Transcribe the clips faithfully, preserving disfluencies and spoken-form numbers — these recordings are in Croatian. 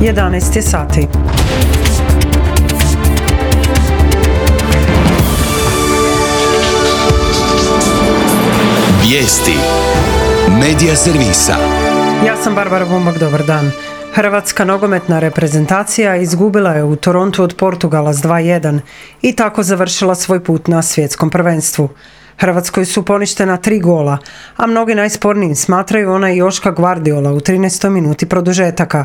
jedanaest je sati. Vijesti Medija servisa. Ja sam Barbara Bumbak, dobar dan. Hrvatska nogometna reprezentacija izgubila je u Torontu od Portugala s dva jedan i tako završila svoj put na svjetskom prvenstvu. Hrvatskoj su poništena tri gola, a mnogi najspornijim smatraju onaj Joška Gvardiola u trinaestoj minuti produžetaka.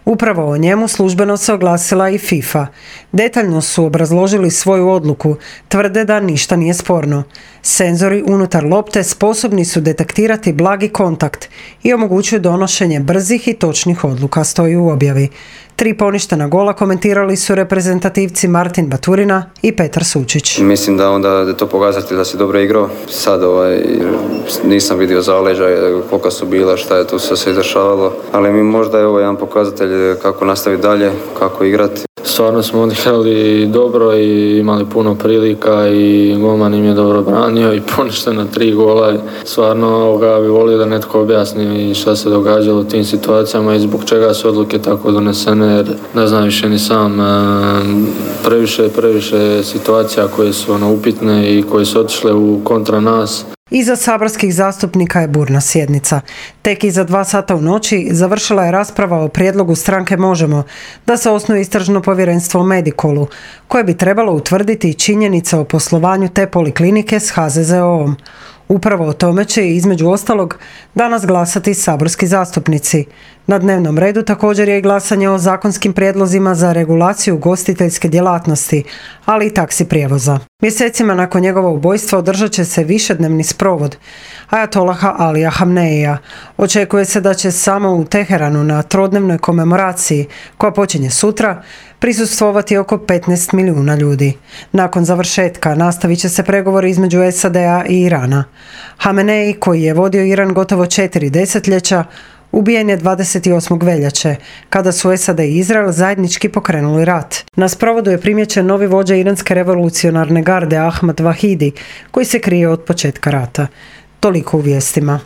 Upravo o njemu službeno se oglasila i FIFA. Detaljno su obrazložili svoju odluku, tvrde da ništa nije sporno. Senzori unutar lopte sposobni su detektirati blagi kontakt i omogućuju donošenje brzih i točnih odluka, stoji u objavi. Tri poništena gola komentirali su reprezentativci Martin Baturina i Petar Sučić. Mislim da onda je to pokazatelj da si dobro igrao. Sad ovaj, nisam vidio zaleđa, koliko su bila, šta je tu sve se dešavalo. Ali mi možda je ovo jedan pokazatelj kako nastaviti dalje, kako igrati. Stvarno smo odigrali dobro i imali puno prilika i golman im je dobro branio i poništeno tri gola. Stvarno ga bi volio da netko objasni šta se događalo u tim situacijama i zbog čega su odluke tako donesene, jer ne znam više ni sam. Previše, previše situacija koje su ono, upitne i koje su otišle u kontra nas. Iza saborskih zastupnika je burna sjednica. Tek iza dva sata u noći završila je rasprava o prijedlogu stranke Možemo da se osnuje istražno povjerenstvo o Medikolu, koje bi trebalo utvrditi činjenice o poslovanju te poliklinike s H Z Z O-om. Upravo o tome će, između ostalog, danas glasati saborski zastupnici. Na dnevnom redu također je i glasanje o zakonskim prijedlozima za regulaciju ugostiteljske djelatnosti, ali i taksi prijevoza. Mjesecima nakon njegova ubojstva održat će se višednevni sprovod Ajatolaha Alija Hamneija. Očekuje se da će samo u Teheranu na trodnevnoj komemoraciji, koja počinje sutra, prisustvovati oko petnaest milijuna ljudi. Nakon završetka nastavit će se pregovori između S A D-a i Irana. Hamenei, koji je vodio Iran gotovo četiri desetljeća, ubijen je dvadeset osmog veljače, kada su S A D i Izrael zajednički pokrenuli rat. Na sprovodu je primijećen novi vođa iranske revolucionarne garde Ahmad Vahidi, koji se krije od početka rata. Toliko u vijestima.